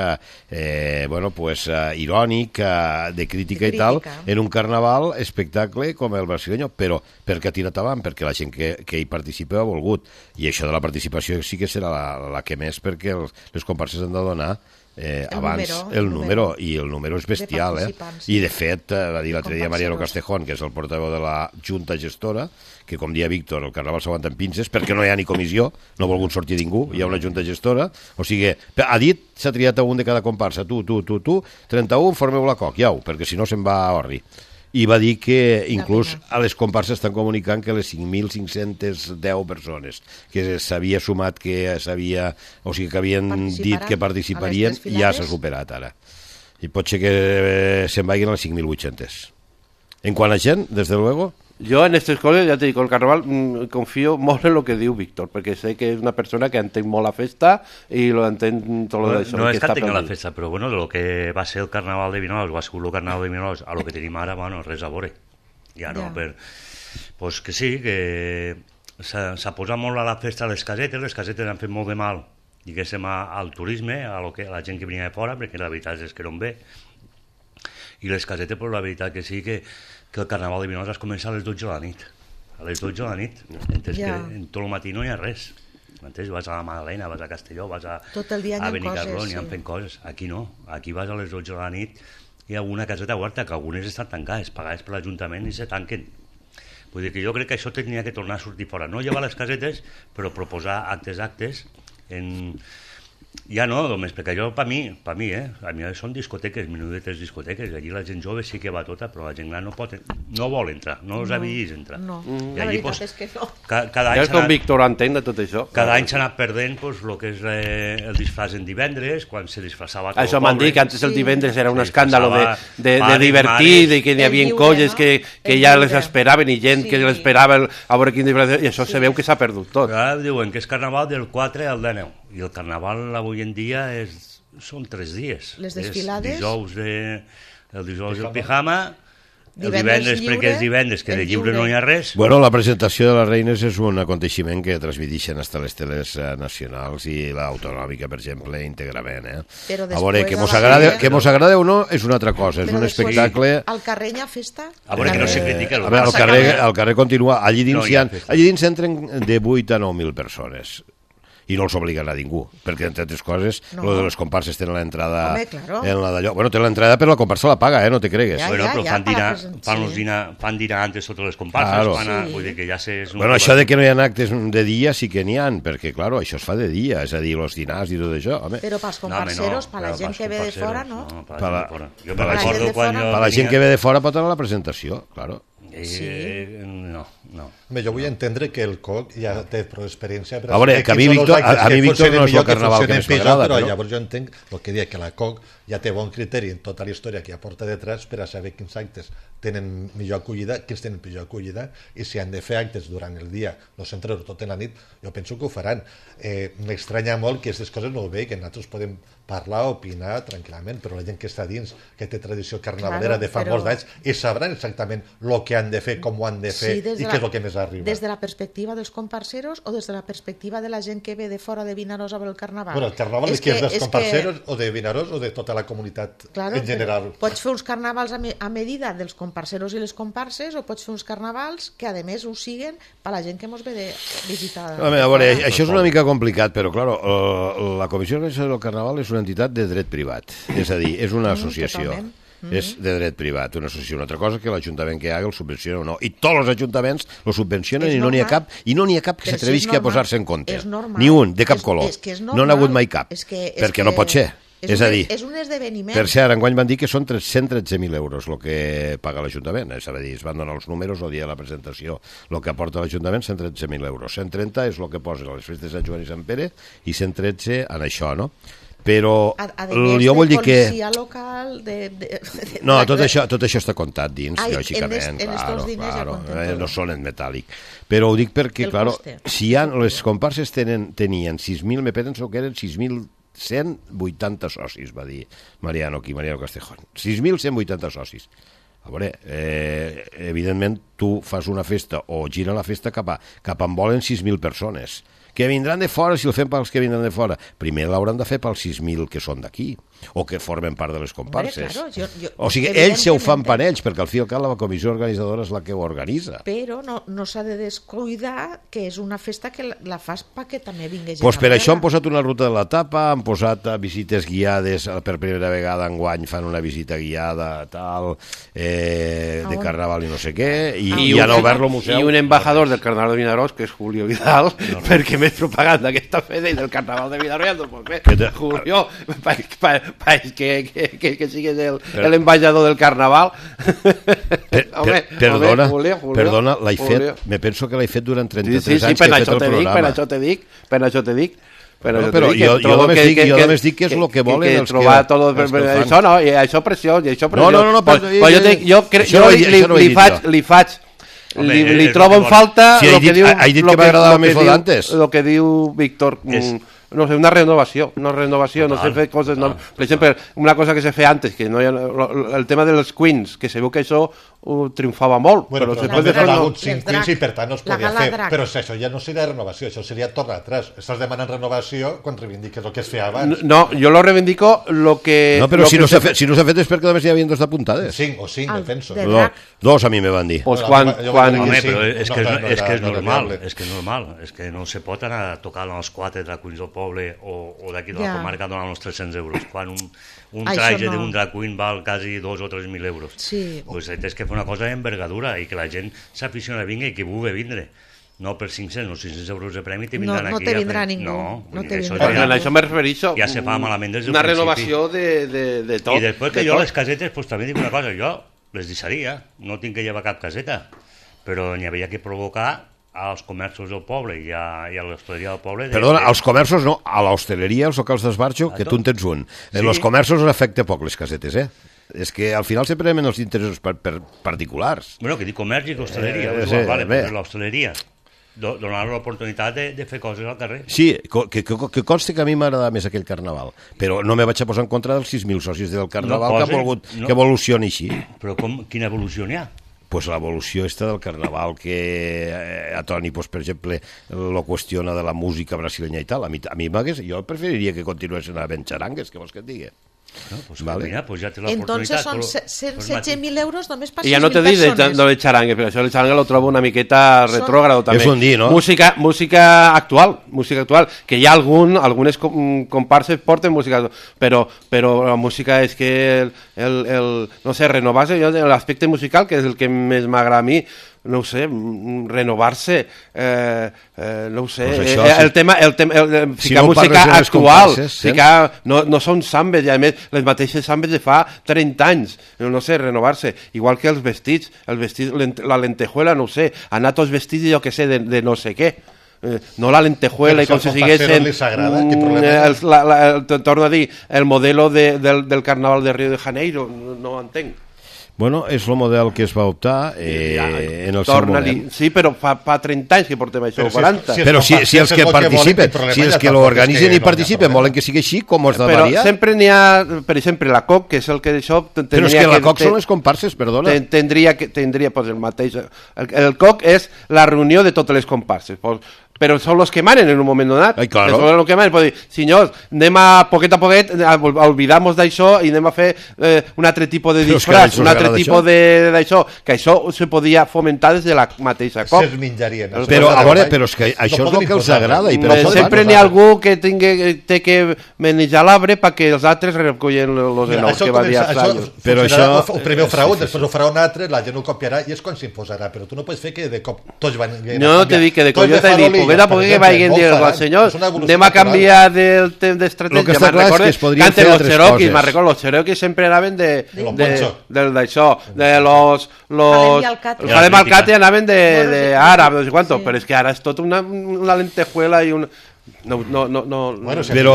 eh, bueno, pues, eh, irònic, eh, de crítica i tal, en un carnaval espectacle com el brasileño, però perquè ha tirat avant, perquè la gent que, que hi participa ha volgut. I això de la participació sí que serà la, la que més, perquè els, les comparses han de donar eh, el abans número, el, el número, i el número és bestial, eh? I de fet, eh, va dir l'altre dia Mariano Castejón, que és el portaveu de la Junta Gestora, que com dia Víctor, el carnaval s'aguanta en pinces, perquè no hi ha ni comissió, no ha volgut sortir ningú, hi ha una Junta Gestora, o sigui, ha dit, s'ha triat a un de cada comparsa, tu, tu, tu, tu, trenta-u, formeu la C O C, iau, perquè si no se'n va a orri. I va dir que inclús a les comparses estan comunicant que les cinc mil cinc-centes deu persones que s'havia sumat, que s'havia, o sigui que havien dit que participarien, ja s'ha superat ara. I pot ser que se'n vagin a les cinc mil vuit-centes. En quant a gent, des de luego... Jo en aquestes coses, ja t'he dit, el carnaval mmm, confio molt en el que diu Víctor, perquè sé que és una persona que entén molt la festa i lo entén tot no, això. No és que entenc la festa, però bueno, de lo que va ser el carnaval de Vinaroz, va ser el carnaval de Vinaroz, a lo que tenim ara, bueno, res a veure. Ja no, ja. Per... Pues que sí, que s'ha posat molt a la festa a les casetes, les casetes han fet molt de mal, diguéssim, al turisme, a, lo que, a la gent que venia de fora, perquè la veritat és que no en ve. I les casetes, però la veritat que sí que que el carnaval de Vinaroz es comença a les dotze de la nit. A les dotze de la nit. Entens yeah. que en tot el matí no hi ha res. Entens? Vas a la Magdalena, vas a Castelló, vas a, a Benicarló, n'hi ha fent coses. Aquí no. Aquí vas a les dotze de la nit i hi ha una caseta oberta, que algunes estan tancades, pagades per l'Ajuntament i se tanquen. Vull dir que jo crec que això tenia que tornar a sortir fora. No llevar les casetes, però proposar actes actes en... Ja no, només, perquè jo, per mi, per mi, eh, a mi són discoteques, menudetes discoteques, allí la gent jove sí que va tota, però la gent gran no pot, no vol entrar, no els no, ha vist entrar. No, mm. la veritat pues, és que no. Ca, cada any ja és com Víctor entén de tot això. Cada any s'ha anat perdent pues, el que és eh, el disfraç en divendres, quan se disfraçava tot això el poble. M'han dit que antes el divendres era un escàndalo de, de, de divertit, i que hi havia colles no? que, que ja les esperaven i gent sí. que l'esperava a veure quin disfraç, i això sí. se veu que s'ha perdut tot. Ara diuen que és carnaval del quatre al deu, i el carnaval avui en dia és, són tres dies. Les desfilades? Dijous de, el dijous del pijama, el divendres perquè és divendres, que de lliure no hi ha res. Bueno, la presentació de les reines és un aconteixement que transmiteixen hasta les teles nacionals i l'autonòmica, per exemple, íntegrament. Eh? Però a veure, que mos la... agrada, que mos agrada o no és una altra cosa, és però un espectacle... Al carrer hi ha festa? A veure, que no se critica. A veure, al carrer, al carrer continua, allí dins, no, hi ha, allí dins entren de vuit a nou mil persones. I no els obliguen a ningú, perquè entre altres coses no. Lo de les comparses tenen l'entrada claro. en la d'allò. Bueno, tenen l'entrada però la comparsa la paga, eh? No te cregues. Ja, bueno, ja, però ja, fan, dinar, present... fan, sí. dinar, fan dinar antes totes les comparses. Claro. Fan a, sí. Vull dir que ja sé... Bueno, això de que no hi ha actes de dia sí que n'hi ha, perquè, claro, això es fa de dia, és a dir, els dinars i tot això. Home. Però pels comparseros, no, per la gent que ve de fora, no? no per per la, fora. Jo me recordo quan... Per la gent que ve de fora pot anar a la presentació, claro. Eh, sí. no, no. Bé, jo vull entendre que el C O C ja té prou experiència. A veure, que a mi Víctor, a, a mi Víctor no és el carnaval que més m'agrada. Però llavors jo entenc el que dic, que la C O C ja té bon criteri en tota la història que aporta detrás per a saber quins actes tenen millor acollida, quins tenen pitjor acollida, i si han de fer actes durant el dia, no centrar-ho tot en la nit, jo penso que ho faran. Eh, M'estranya molt que aquestes coses no ho veig, que nosaltres podem parlar, opinar tranquil·lament, però la gent que està dins, que té tradició carnavalera claro, de fa però... molts d'anys, i sabran exactament el que han de fer, com ho han de fer, sí, i què és el que més arriba. Des de la perspectiva dels comparseros o des de la perspectiva de la gent que ve de fora de Vinaròs a veure el carnaval? Bueno, el carnaval és, és que és dels comparseros que... o de Vinaròs o de tota la comunitat claro, en general. Pots fer uns carnavals a, me a medida dels comparseros i les comparses, o pots fer uns carnavals que a més ho siguen per la gent que mos ve de visitar. A veure, això és una mica complicat, però claro, la Comissió Organitzadora del Carnaval és una entitat de dret privat, és a dir, és una associació. Mm, Mm -hmm. És de dret privat, una associació. Una altra cosa que l'Ajuntament que haga el subvenciona o no. I tots els ajuntaments el subvencionen i no n'hi ha cap i no n'hi ha cap que s'atrevisqui si a posar-se en compte. Ni un, de cap és, color. És que és no n'ha hagut mai cap. És que, és perquè que... no pot ser. És, és un, a dir, és un esdeveniment. Per cert, enguany van dir que són cent tretze mil euros el que paga l'Ajuntament. És a dir, es van donar els números el dia de la presentació. El que aporta l'Ajuntament, cent tretze mil euros. cent trenta és el que posa a les festes de Sant Joan i Sant Pere i cent tretze en això, no? Però a, a jo vull dir que... local, de, de, de, no, tot això, tot això està comptat dins, Ai, lògicament, en claro, claro, ja no són en metàl·lic. Però ho dic perquè, claro, si hi ha, les comparses tenen, tenien sis mil, me penso que eren sis mil cent vuitanta socis, va dir Mariano aquí, Mariano Castejón. sis mil cent vuitanta socis. A veure, eh, evidentment, tu fas una festa o gira la festa cap a, cap on volen sis mil persones. Que vindran de fora, si el fem pels que vindran de fora. Primer l'hauran de fer pels sis mil que són d'aquí, o que formen part de les comparses. Claro, jo, jo, o sigui, ells se ho fan per ells, perquè al fi i al cap la comissió organitzadora és la que ho organitza. Però no, no s'ha de descuidar que és una festa que la, la fas perquè també vingui gent. Pues per això han posat una ruta de la tapa, han posat visites guiades, per primera vegada enguany fan una visita guiada, tal, eh, de carnaval i no sé què, i, i, i han obert el museu. I un embajador del carnaval de Vinaròs, que és Julio Vidal, no, no. perquè més propaganda aquesta festa i del carnaval de Vinaròs, no pot fer. Julio, pa, pa, pa, que, que, que, que sigues el, el embajador del carnaval. Per, home, per, perdona, home, Julio, Julio, perdona, l'he fet, me penso que l'he fet durant trenta-tres sí, sí, sí, anys que he fet el dic, programa. Per això te dic, per això te dic. Però, no, però jo, jo només dic, que, jo només dic que és el que volen que, els que, els tot, els que això no, i això pressió, i això No, pressió. no, no, no pues, però, pues jo, te, jo, cre, jo li, li, li, faig, li faig Home, li, li trobo en falta si el que dit, diu he dit que m'agradava més lo d'antes. El que diu Víctor, mm, no sé, una renovació, una renovació, no sé fer coses, no, per exemple, una cosa que se feia antes, que no hi ha, el tema dels queens, que segur que això uh, triomfava molt, bueno, però, però després de fer no, cinc queens i per tant no es podia fer, drac. Però si això ja no seria renovació, això seria tornar atrás. Estàs demanant renovació quan reivindiques el que es feia abans. No, jo lo reivindico lo que... No, però lo si, que no se fet, si no s'ha fet és perquè només hi havia dos d'apuntades. Cinc o cinc, penso. No, dos a mi me van dir. Pues quan, quan... Home, però és que és, és, que és normal, és que és normal, és que no se pot anar a tocar els quatre drag queens del poble o, o d'aquí de la comarca donant els tres-cents euros, quan un, un traje no. d'un drag queen val quasi dos o tres mil euros. Sí. Pues és que fer una cosa d'envergadura i que la gent s'aficiona a vindre i que vulgui vindre. No per cinc-cents o sis-cents euros de premi te vindran no, no aquí. No te vindrà ningú. No, no te això, vindrà. Ja, això me refereixo. Ja se fa malament des del una principi. Una renovació de, de, de tot. I després que jo tot. Les casetes, pues també dic una cosa, jo les deixaria, no tinc que llevar cap caseta, però n'hi havia que provocar als comerços del poble i a, i a l'hostaleria del poble. De, Perdona, de... als comerços no, a l'hostaleria, als locals d'esbarjo, que tu en tens un. Sí. En els comerços afecta poc les casetes, eh? És que al final sempre anem els interessos per, per particulars. Bueno, que dic comerç i hostaleria, eh, eh, sí, vale, però l'hostaleria. donar l'oportunitat de, de fer coses al carrer. Sí, que, que, que consti que a mi m'agrada més aquell carnaval, però no me vaig a posar en contra dels sis mil socis del carnaval no posi, que ha volgut no. que evolucioni així. Però com, quina evolució n'hi ha? Pues l'evolució esta del carnaval que eh, a Toni, pues, per exemple, lo qüestiona de la música brasilenya i tal. A mi, a mi jo preferiria que continuessin havent xarangues, que vols que et digui. No, pues vale. Mira, pues ya te la Entonces son setze mil euros només per sis mil persones. I ja no te dic de, de, de xarangue, però això el xarangue lo trobo una miqueta retrógrado també. És un dir, no? Música, música actual, música actual, que hi ha algun, algunes comparses porten música, però, però la música és que el, el, el no sé, renovar-se, l'aspecte musical, que és el que més m'agrada a mi, no ho sé, renovar-se, eh, eh, no ho sé, pues això, eh, el tema, el tema el, el, si ficar no música actual, ficar, no, no són sambes, i a més les mateixes sambes de fa trenta anys, no sé, renovar-se, igual que els vestits, el vestit, la lentejuela, no ho sé, anar tots vestits, jo que sé, de, de no sé què. Eh, no la lentejuela i com si siguessin el, la, la, el, torno a dir el modelo de, del, del carnaval de Rio de Janeiro, no, no ho entenc. Bueno, és el model que es va optar eh, ja, en el seu moment. Sí, però fa, fa trenta anys que portem això, però quaranta. Si, si però si, si els que participen, que si els que l'organitzen i participen volen que sigui així, com es de però variar? Però sempre n'hi ha, per exemple, la C O C, que és el que d'això... Però és que la C O C són les comparses, perdona. Tendria, que, tendria pues, el mateix... El, el C O C és la reunió de totes les comparses. Pues, però són els que manen en un moment donat. Ai, claro. Són els que manen. Pues, dir, senyors, anem a poquet a poquet, oblidamos d'això i anem a fer eh, un altre tipus de disfraç, un altre tipus d'això, que això se podia fomentar des de la mateixa C O C. Se menjarien. Però, a veure, però és que això no és el que els agrada. I per eh, sempre n'hi ha algú que tingui, té que manejar l'arbre perquè els altres recollen els enocs que va dir als anys. Però això... El primer ho farà un, després ho farà un altre, la gent ho copiarà i és quan s'imposarà. Però tu no pots fer que de cop tots van... No, no te dic que de cop jo t'he dit poqueta poqueta que vagin dir els senyors, anem a canviar del temps d'estratègia. Me'n recordo que antes los Cherokees, me'n recordo, los Cherokees sempre anaven de d'això, de los Jalem Alcate anaven d'àrab, no sé quanto, però és que ara és tot una lentejuela i un... No, no, no, no. Bueno, si però...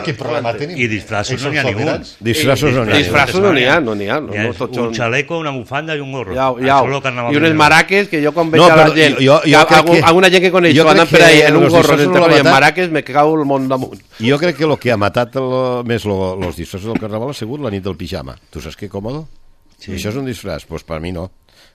quin problema tenim? I disfraços no n'hi ha ningú. Disfraços no n'hi ha. Disfraços no n'hi ha, no n'hi ha. Un xaleco, una bufanda i un gorro. Ja, ja. I unes maraques que jo quan veig a la gent, alguna gent que coneixo anant per ahí en un gorro i en maraques me cau el món damunt. Jo crec que el que ha matat més els disfraços del carnaval ha sigut la nit del pijama. Tu saps què còmodo? Això és un disfraç? Doncs per mi no.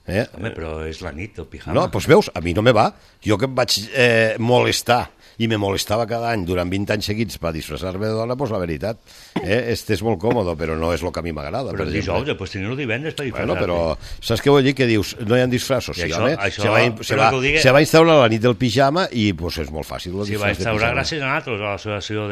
Eh? Home, però és la nit del pijama. No, doncs veus, a mi no me va. Jo que em vaig eh, molestar i me molestava cada any durant vint anys seguits per disfressar-me de dona, doncs la veritat, eh, este és molt còmode, però no és el que a mi m'agrada. Però el dijous, després tenir-ho divendres per disfressar-te. Bueno, però saps què vull dir? Que dius, no hi ha disfressos. Sí, això, home, això, se, va, se, va, digue... se va instaurar la nit del pijama i pues, és molt fàcil. Si va instaurar gràcies a nosaltres, a l'associació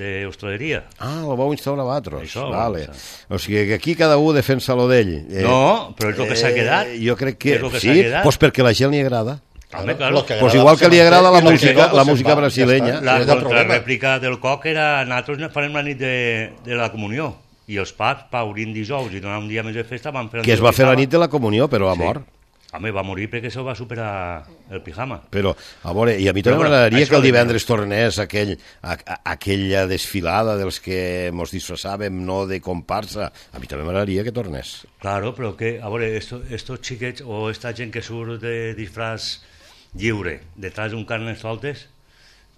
d'hostaleria. Ah, ho vau instaurar vosaltres. Això, vale. O sigui que aquí cada un defensa lo d'ell. Eh, no, però és el que s'ha quedat. Eh, jo crec que, que sí, pues perquè a la gent li agrada. Home, claro. Pues igual que li agrada la música, la música brasileña. La contrarèplica del C O C era nosaltres farem la nit de, de la comunió i els paps, paurint dijous i donar un dia més de festa van fer... Que es va fer la nit de la comunió, però a mort. Home, va morir perquè això va superar el pijama. Però, a veure, i a mi també m'agradaria que el divendres tornés aquell, a, a, aquella desfilada dels que mos disfressàvem, no de comparsa. A mi també m'agradaria que tornés. Claro, però que, a veure, esto, estos xiquets o esta gent que surt de disfraç lliure, detrás d'un carnestoltes,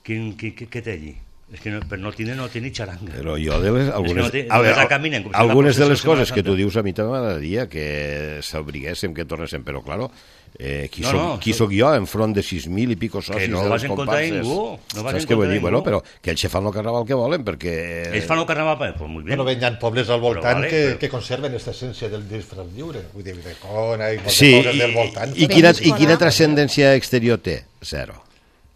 quin, quin, què té allí? És que no, per no tindre no té ni xaranga. Però jo de les, algunes, no té, a veure, caminen, si algunes de les coses que tu dius a mi també m'agradaria que s'obriguéssim, que tornéssim, però claro, eh, qui, no, soc, no, qui soc jo enfront de sis mil i pico socis no de les comparses? Ningú, no vas saps què vull dir? Bueno, però que ells fan el carnaval que volen, perquè... Ells fan el carnaval, pues muy bien. Bueno, hi ha pobles al voltant vale, que, però... que conserven aquesta essència del disfraç lliure. Vull dir, de Cona i moltes sí, coses del voltant. I, i, quina, i quina transcendència exterior té? Zero.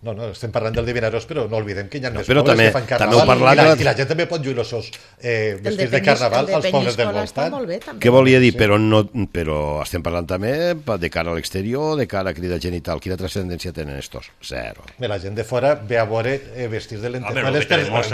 No, no, estem parlant del Divinaros, però no oblidem que hi ha no, més pobles també, que fan carnaval també parlat, i, la, i la gent també pot lluir els seus eh, vestits de, de carnaval als pobles del voltant. Bé, què volia dir? Sí. Però, no, però estem parlant també de cara a l'exterior, de cara a crida genital. Quina transcendència tenen estos? Zero. Bé, la gent de fora ve a veure eh, vestits de lentejueles, per, no,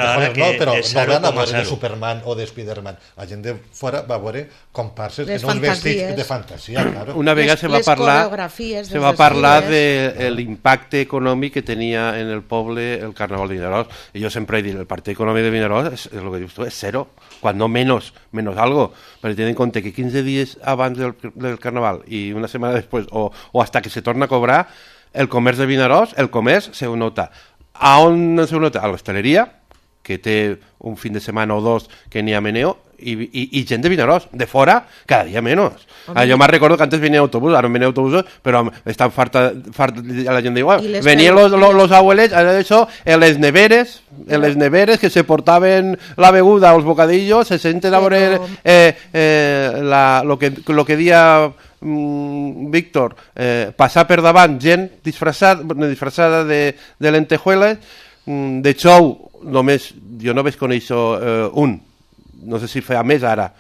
però no van a veure de Superman o de Spiderman. La gent de fora va a veure comparses en uns vestits de fantasia, claro. Una vegada se va parlar se va parlar de l'impacte econòmic que tenia en el poble el carnaval de Vinaròs, i jo sempre he dit el partit econòmic de Vinaròs és, és el que dius tu, és zero, quan no menos, menos algo, perquè tenint en compte que quinze dies abans del, del carnaval i una setmana després, o, o hasta que se torna a cobrar, el comerç de Vinaròs, el comerç se nota. A on se nota? A l'hostaleria, que té un fin de setmana o dos que n'hi ha meneo, i, i, i gent de Vinaròs, de fora, cada dia menys. Ah, jo me'n recordo que antes venia autobús, ara no venia autobusos, però estan farta, farta la gent diu, venien los, los, los abuelets, ara això, en les neveres, en les neveres que se portaven la beguda o els bocadillos, se senten a veure eh, eh, la, lo, que, lo que dia mm, Víctor, eh, passar per davant gent disfressada, disfressada de, de lentejuelas, mm, de xou, només, jo no vaig conèixer eh, un, no sé si fa més ara,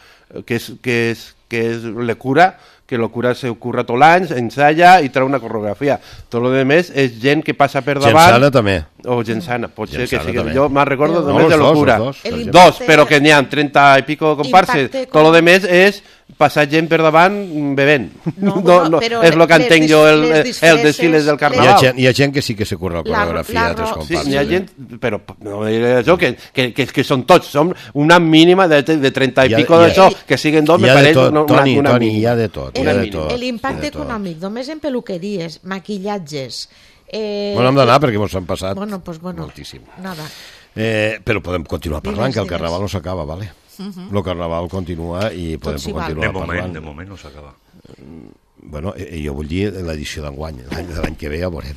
que és, que és, que és la cura, que la cura se curra tot l'any, ensaya i treu una coreografia. Tot el més és gent que passa per davant. Gent sana també. O gent sana, pot gent ser que sigui. També. Jo me'n recordo no, només de la cura. Dos, dos, dos, però que n'hi ha trenta i pico comparses. Tot el més és passar gent per davant bevent. No, no, no, és el que entenc jo el, el desfiles del carnaval. Hi ha, gent, hi ha gent que sí que se curra la coreografia la, la, de tres comparses. Sí, hi ha gent, però no això, que, que, que, que són tots, som una mínima de, de trenta i pico d'això, que siguen dos, me pareix una, Toni, una, una Toni, hi ha de tot. L'impacte econòmic, només en peluqueries, maquillatges... Eh, bueno, hem d'anar perquè ens han passat bueno, pues bueno, moltíssim. Nada. Eh, però podem continuar parlant, que el carnaval no s'acaba, vale? Uh-huh. El carnaval continua i podem si continuar de moment, parlant. De moment no s'acaba. Bueno, eh, jo vull dir l'edició d'enguany, l'any de l'any que ve ja veurem.